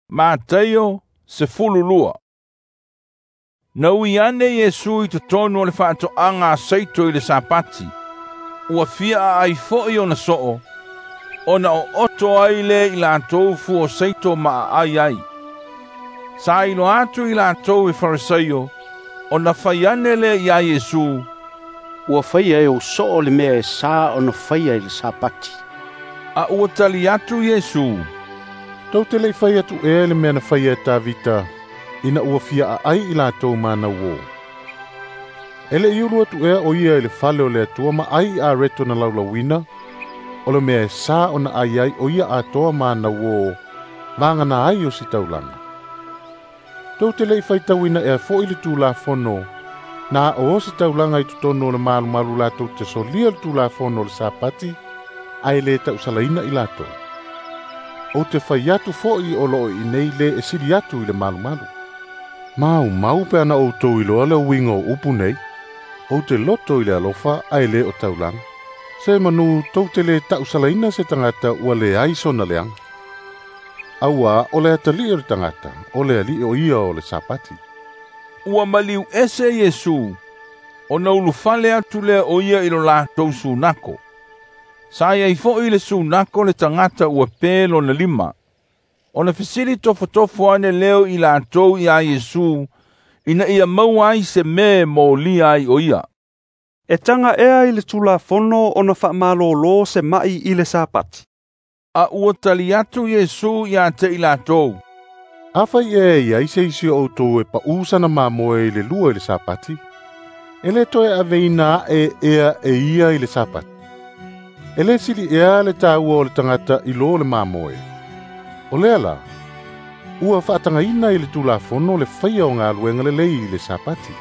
Mataio 12. Na ui ane Iesu i totonu o le faatoaga a Saito i le Sapati. Ua fia aai foi ona soo, ona ooto ai lea i latou fua o saito ma aai ai. Sa iloa atu i latou e Farisaio, ona fai ane lea ia Iesu, "Ua faia e ou soo le mea e sa ona faia i le Sapati." A ua tali atu Iesu, "Tou te le i fai atu ea le mea na faia e Tavita ina ua fia aai i latou ma ana uō. E le i ulu atu ea o ia i le fale o le Atua ma ai i areto na laulauina, o le mea e sa ona ai ai o ia atoa ma ana uō, vagana ai o se taulaga. Tou te le i faitauina ea foi le Tulafono, na o se taulaga i totonu o le malumalu latou te solia le Tulafono o le Sapati, ae le tausalaina i latou. Ou te fai atu foi o loo i nei le e sili atu i le malumalu. Mau mau pe ana outou iloa le uiga o upu nei, ou te loto i le alofa ae le o taulaga. Se manu tou te le tausalaina se tagata ua leai sona leaga. Auā o le atalii o le tagata, o le alii o ia o le Sapati." Ua maliu ese Iesu, ona ulufale atu lea o ia i lo latou sunako. Sa iai foi le sunako le tagata ua pe lona lima. Ona fesili tofotofo ane leo i latou ia Iesu, ina ia maua ai se mea e molia ai o ia. "E taga ea i le Tulafono ona faamalōlō se ma'i i le Sapati?" A ua tali atu Iesu ia te i latou, "Afai ea e iai se isi o outou e paʻū sana mamoe i le lua i le Sapati, e lē toe aveina aʻe ea e ia i le Sapati. E lē sili ea le tāua o le tagata i lō le mamoe. O lea la, ua faatagaina i le Tulafono le faia o galuega lelei i le Sapati."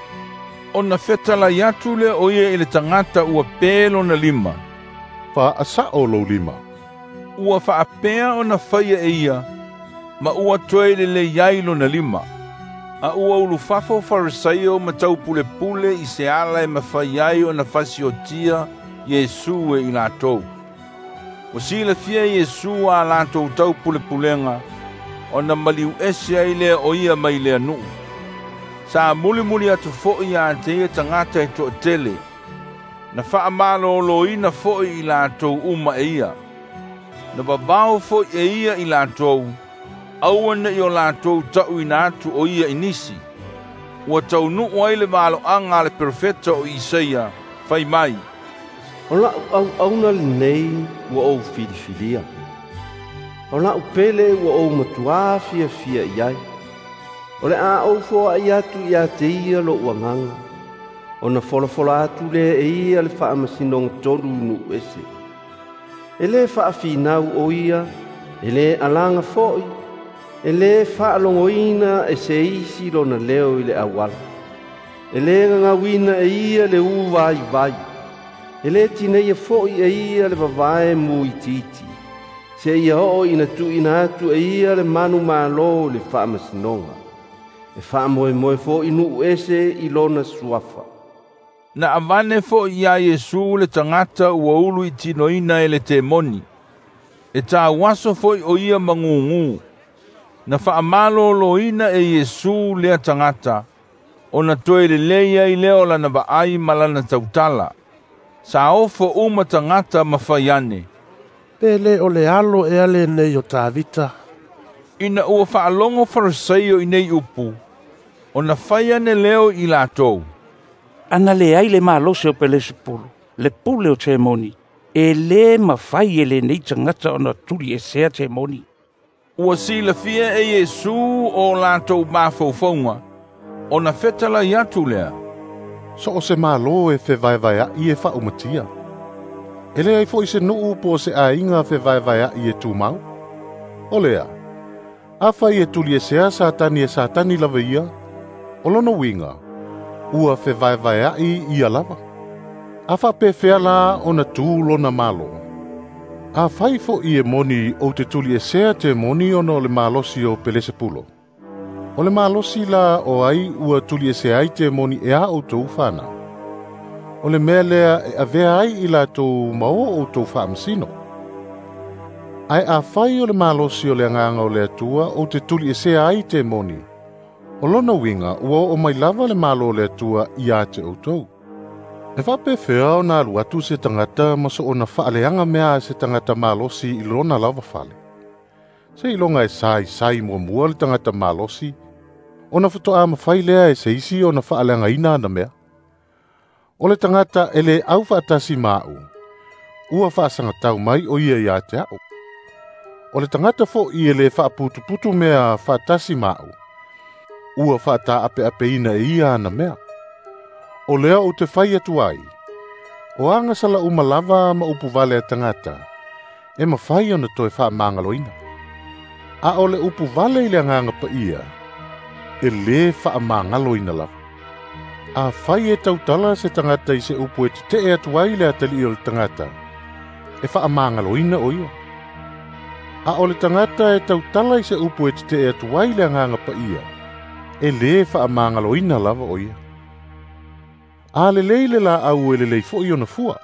Ona fetalai atu lea o ia i le tagata ua pe lona lima, "Faasaʻo lou lima." Ua faapea ona faia e ia, ma ua toe lelei ai lona lima. A ua ulufafo Farisaio ma taupulepule i se ala e mafai ai ona fasiotia Iesu e i latou. Ua silafia Iesu a latou taupulepulega, ona maliu ese ai lea o ia mai lea nuu. Sa mulimuli atu foi ia te ia tagata e toatele, na faamalōlōina foi i latou uma e ia. Na vavao foi e ia i latou, aua ne i o latou taʻuina atu o ia i nisi. Ua taunuu ai le valoaga a le perofeta o Isaia, fai mai, "O la'u auauna lenei ua ou filifilia, o la'u pele ua ou matuā fiafia i ai. O le a ou foaʻi atu ia te ia loʻu agaga, ona folafola atu lea e ia le faamasinoga tonu i nuu ese. E lē faafinau o ia, e lē alaga foʻi, e lē faalogoina e se isi lona leo i le auala. E lē gagauina e ia le ū vaivai, e lē tineia foʻi e ia le vavae muitiiti, seia oo ina tuuina atu e ia le manumalo i le faamasinoga. E faamoemoe foʻi nuu ese i lona suafa." Na avane foi ia Iesu le tagata ua ulu i tinoina e le temoni. E tauaso foi o ia magugū. Na faamalōlōina e Iesu lea tagata, ona toe lelei ai lea o lana vaai ma lana tautala. Sa ofo uma tagata ma fai ane, "Pe lē o le alo ea lenei o Tavita?" Ina ua faalogo Farisaio i nei upu, ona fai ane leo i latou, "Ana leai le malosi o Pelesepulu, le pule o temoni, e lē mafai e lenei tagata ona tuliesea temoni." Ua silafia e Iesu o latou mafaufauga, ona fetalai atu lea, "So o se malo e fevaevaeaʻi e faaumatia. E leai foʻi se nuu po o se aiga fevaevaeaʻi e tumau. O lea, afai e tuliesea Satani e Satani lava ia, o lona uiga, ua fevaevaeaʻi ia lava. A faapefea la ona tū lona malo? Afai foʻi e moni ou te tuliesea temoni ona o le malosi o Pelesepulo, o le malosi la o ai ua tuliesea ai temoni e a outou fanau. O le mea lea e avea ai i latou ma o outou faamasino. Ae afai o le malosi o le agaga o le Atua ou te tuliesea ai temoni, o lona uiga ua oo mai lava le Malo o le Atua ia te outou. E faapefea ona alu atu se tagata ma soona faaleaga mea a se tagata malosi i lona lava fale? Seiloga e saisai muamua le tagata malosi, ona faatoa mafai lea e se isi ona faaleagaina ana mea. O le tagata e le aufaatasi ma a'u, ua faasagatau mai o ia ia te a'u. O le tagata fo'i e le faaputuputu mea faatasi ma a'u, ua faataapeapeina e ia ana mea. O lea ou te fai atu ai, o agasala uma lava ma upu vale a tagata, e mafai ona toe faamagaloina. A o le upu vale i le agaga paia, e lē faamagaloina lava. Afai e tautala se tagata i se upu e tete'e atu ai le atalii o le tagata, e faamagaloina o ia. A o le tagata e tautala i se upu e tete'e atu ai le agaga paia, e lē faamagaloina lava o ia. A lelei le laau e lelei fo'i ona fua,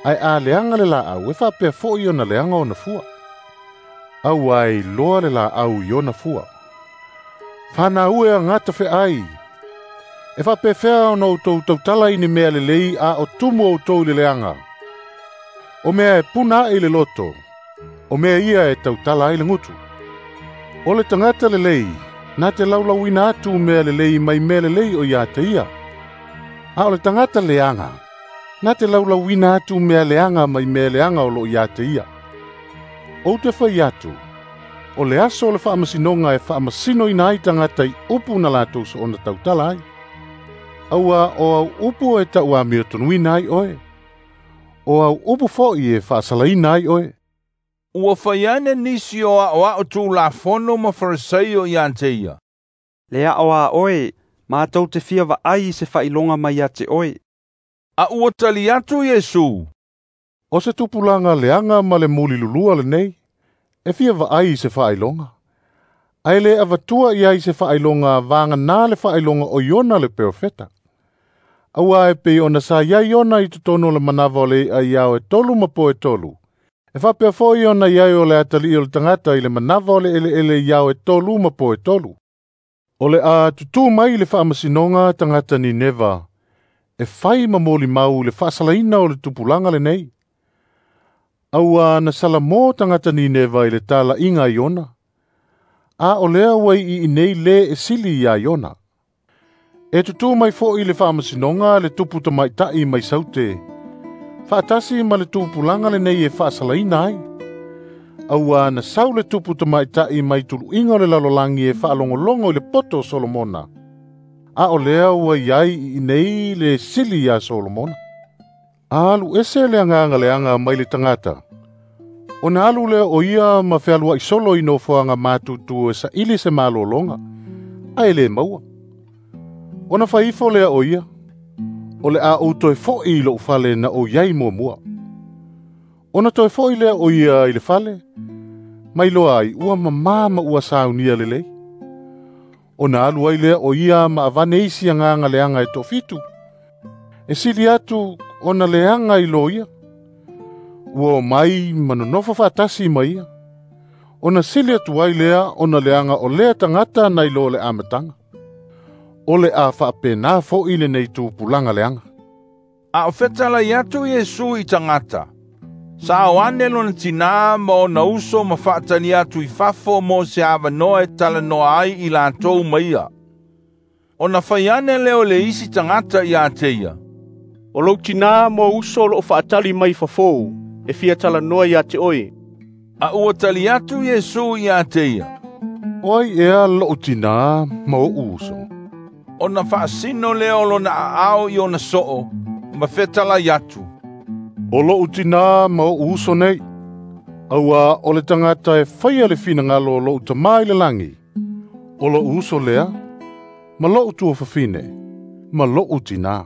ae a leaga le laau e faapea fo'i ona leaga ona fua. Auā e iloa le laau i ona fua. Fanau e agata feai, e faapefea ona outou tautala i ni mea lelei a o tumu outou i le leaga. O mea e puna ae i le loto, o mea ia e tautala ai le gutu. O le tagata lelei, na te laulauina atu mea lelei mai mea lelei o ia te ia. A o le tagata leaga, na te laulauina atu mea leaga mai mea leaga o loo ia te ia. Ou te fai atu, o le aso o le faamasinoga e faamasinoina ai tagata i upu na latou soona tautala ai. Auā o au upu e tauamiotonuina ai oe, o au upu fo'i e faasalaina ai oe. Ua fai ane nisi o a'oa'o Tulafono ma Farisai ia te ia. Le a'o a oe, matou te fia vaai i se faailoga mai ia te oe. A ua tali atu Iesu. O se tupulaga leaga ma le mulilulua lenei, e fia vaai i se faailoga. Ae le avatua i ai se faailoga vaganā le faailoga o Iona le perofeta. Auā e pei ona sa iai ona i totonu o le manava o le i'a i ao e 3 ma po e 3. E faapea fo'i ona i ai o le atalii o le tagata i le manava o le eleele i ao e 3 ma po e 3. O le a tutū mai le faamasinoga tagata Nineva, e fai ma molimau i le faasalaina o le tupulaga lenei. Auā na salamō tagata Nineva i le tala'iga a Iona, a o lea ua i'i'i nei lē e sili iā Iona. E tutū mai fo'i le faamasinoga le tupu tamaita'i mai Saute, faatasi ma le tupulaga lenei e faasalaina ai. Auā na sau le tupu tamaita'i mai tulu'iga o le lalolagi e faalogologo i le poto o Solomona, a o lea ua iai iinei le sili iā Solomona. A alu ese le agaga leaga mai le tagata, ona alu lea o ia ma fealua'i solo i nofoaga matutu e saili se malologa, ae lē maua. Ona fai ifo lea o ia, o le a ou toe fo'i i lo'u fale na ou iai muamua. Ona toe fo'i lea o ia i le fale, mai loa ai ua mamā ma ua saunia lelei. Ona alu ai lea o ia ma avane isi agaga leaga e toafitu, e sili atu ona leaga i lo ia. Ua omai ma nonofo faatasi ma ia. Ona sili atu ai lea ona leaga o lea tagata nai lo le amataga. O le a faapenā fo'i lenei tupulaga leaga. A o fetalai atu Iesu i tagata, sa o ane lona tinā ma ona uso ma faatali atu i fafo mo se avanoa e talanoa ai i latou ma ia. Ona fai ane lea o le isi tagata ia te ia. O lou tinā ma ou uso o loo faatali mai fafō, e fia talanoa ia te oe. A ua tali atu Iesu ia te ia. O ai ea lo'u tinā ma o'u uso? Ona faasino lea o lona aao i ona soo, ma fetalai atu. O lo'u tinā ma o'u uso nei, auā o le tagata e faia le finagalo o lo'u Tamā i le lagi, o lo'u uso lea, ma lo'u tuafafine, ma lo'u tinā.